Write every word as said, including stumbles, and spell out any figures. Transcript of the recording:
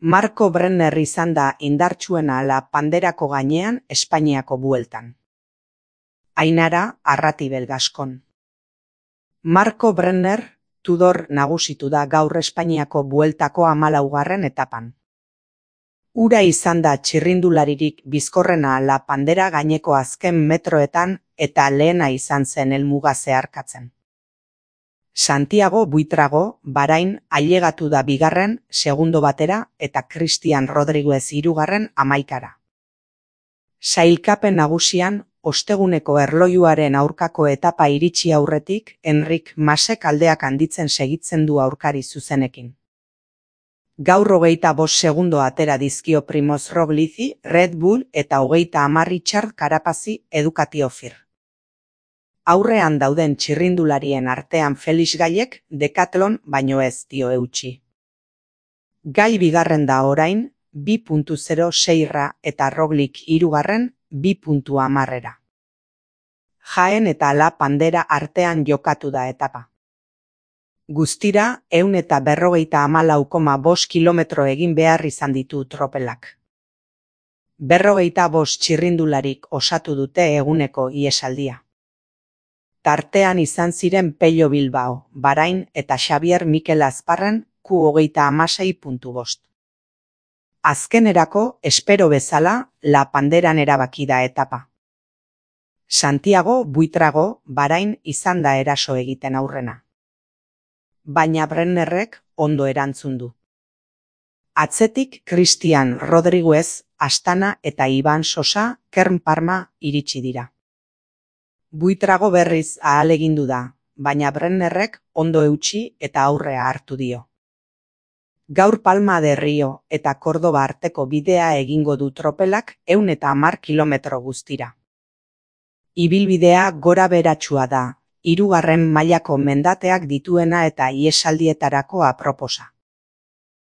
Marco Brenner izan da indartsuena La Panderako gainean Espainiako bueltan. Ainara Arratibel Gaskon. Marco Brenner Tudor nagusitu da gaur Espainiako bueltako hamalaugarren etapan. Ura izan da txirrindularirik bizkorrena La Pandera gaineko azken metroetan eta lehena izan zen helmuga zeharkatzen. Santiago Buitrago Barain ailegatu da bigarren, segundo batera eta Cristian Rodriguez hirugarren hamaikara. Sailkapen nagusian, osteguneko erlojuaren aurkako etapa iritsi aurretik, Enric Masek aldeak handitzen segitzen du aurkari zuzenekin. Gaur hogeita bost segundo atera dizkio Primoz Roglici, Red Bull eta hogeita hamar Richard Carapaz Ducati Ofir. Aurrean dauden txirrindularien artean Felix Gaiek Decathlon baino ez dio eutsi. Gai bigarren da orain, bi puntu zero seira eta Roglic hirugarren, bi puntu hamarera. Jaen eta La Pandera artean jokatu da etapa. Guztira, ehun eta berrogeita hamalau koma bost kilometro egin behar izan ditu tropelak. Berrogeita bost txirrindularik osatu dute eguneko iesaldia. Tartean izan ziren Pello Bilbao, Barain eta Xavier Mikel Azparren Q hogeita hamasei puntu bost. Azkenerako, espero bezala, La Panderan erabaki da etapa. Santiago Buitrago Barain izan da eraso egiten aurrena. Baina Brennerrek ondo erantzun du. Atzetik Cristian Rodriguez, Astana eta Iban Sosa, Kern Parma iritsi dira. Buitrago berriz ahalegindu da, baina Brennerrek ondo eutsi eta aurrea hartu dio. Gaur Palma de Rio eta Kordoba arteko bidea egingo du tropelak ehun eta hamar kilometro guztira. Ibilbidea gora beratsua da, hirugarren mailako mendateak dituena eta iesaldietarako aproposa.